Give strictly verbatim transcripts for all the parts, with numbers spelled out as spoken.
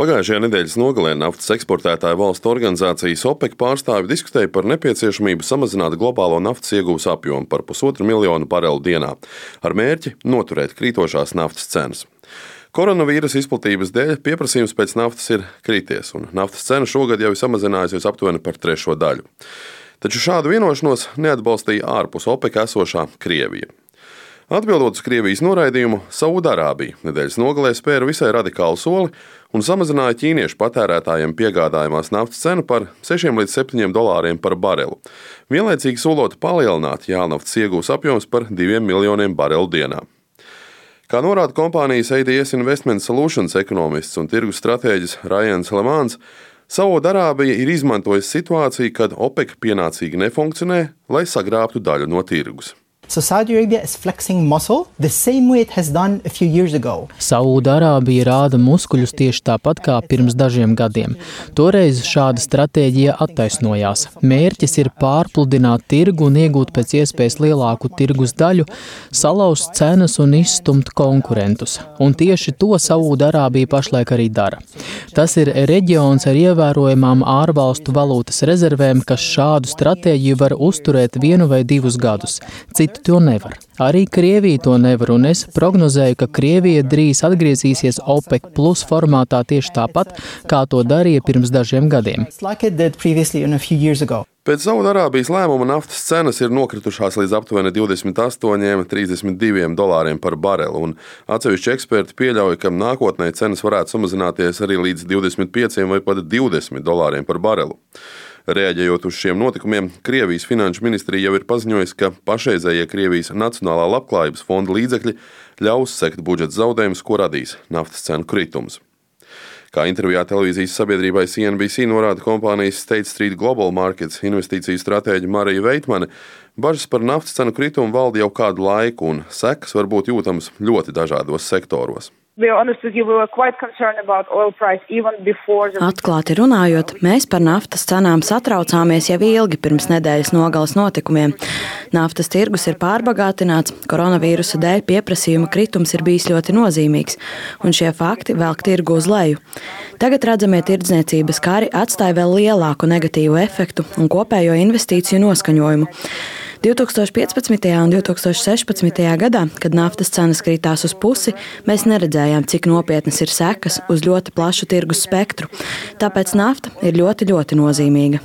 Pagājušajā nedēļas nogalē naftas eksportētāju valstu organizācijas OPEC pārstāvi diskutēja par nepieciešamību samazināt globālo naftas ieguves apjomu par pusotru miljonu barelu dienā, ar mērķi noturēt krītošās naftas cenas. Koronavīrusa izplatības dēļ pieprasījums pēc naftas ir krities, un naftas cena šogad jau ir samazinājusies aptuveni par trešo daļu. Taču šādu vienošanos neatbalstīja ārpus OPEC esošā Krievija. Atbildot uz Krievijas noraidījumu, Saūdarābija nedēļas nogalē spēra visai radikālu soli un samazināja ķīniešu patērētājiem piegādājumās naftas cenu par sešiem līdz septiņiem dolāriem par barelu, vienlaicīgi solot palielināt jālnaftas iegūs apjoms par diviem miljoniem barelu dienā. Kā norāda kompānijas A D S Investment Solutions ekonomists un tirgus stratēģis Rajans Lemāns, Saūdarābija ir izmantojusi situāciju, kad OPEC pienācīgi nefunkcionē, lai sagrābtu daļu no tirgus. So Saudi Arabia is flexing muscle the same way it has done a few years ago. Saūdarābija rāda muskuļus tieši tāpat kā pirms dažiem gadiem. Toreiz šāda stratēģija attaisnojās. Mērķis ir pārpludināt tirgu un iegūt pēc iespējas lielāku tirgus daļu, salauzt cenas un izstumt konkurentus. Un tieši to Saūdarābija pašlaik arī dara. Tas ir reģions ar ievērojamām ārvalstu valūtas rezervēm, kas šādu stratēģiju var uzturēt vienu vai divus gadus. Citu to nevar. Arī Krievija to nevar, un es prognozēju, ka Krievija drīz atgriezīsies OPEC plus formātā tieši tāpat, kā to darīja pirms dažiem gadiem. Pēc Saūdarābijas lēmuma naftas cenas ir nokritušās līdz aptuveni divdesmit astoņiem līdz trīsdesmit diviem dolāriem par barelu, un atsevišķi eksperti pieļauj, ka nākotnē cenas varētu samazināties arī līdz divdesmit pieciem vai pat divdesmit dolāriem par barelu. Reaģējot uz šiem notikumiem, Krievijas finanšu ministrija jau ir paziņojusi, ka pašreizējie Krievijas Nacionālā labklājības fonda līdzekļi ļaus sekt budžeta zaudējumus, ko radīs naftas cenu kritums. Kā intervijā televīzijas sabiedrībai C N B C norāda kompānijas State Street Global Markets investīciju stratēģe Marija Veitmane, bažas par naftas cenu kritumu valda jau kādu laiku, un sekas var būt jūtamas ļoti dažādos sektoros. Atklāti runājot, mēs par naftas cenām satraucāmies jau ilgi pirms nedēļas nogales notikumiem. Naftas tirgus ir pārbagātināts, koronavīrusa dēļ pieprasījuma kritums ir bijis ļoti nozīmīgs, un šie fakti velk tirgu uz leju. Tagad redzamie tirdzniecības kari atstāja vēl lielāku negatīvu efektu un kopējo investīciju noskaņojumu. divtūkstoš piecpadsmitajā un divtūkstoš sešpadsmitajā gadā, kad naftas cenas kritās uz pusi, mēs neredzējām, cik nopietnas ir sekas uz ļoti plašu tirgus spektru. Tāpēc nafta ir ļoti, ļoti nozīmīga.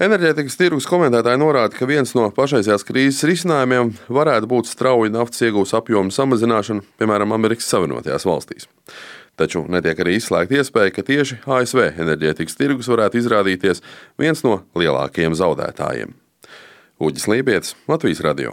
Enerģētikas tirgus komentētāji norāda, ka viens no pašreizējās krīzes risinājumiem varētu būt strauja naftas iegūs apjomu samazināšana, piemēram, Amerikas Savienotajās valstīs. Taču netiek arī izslēgta iespēja, ka tieši A S V enerģētikas tirgus varētu izrādīties viens no lielākajiem zaudētājiem. Uģis Lībietis, Latvijas radio.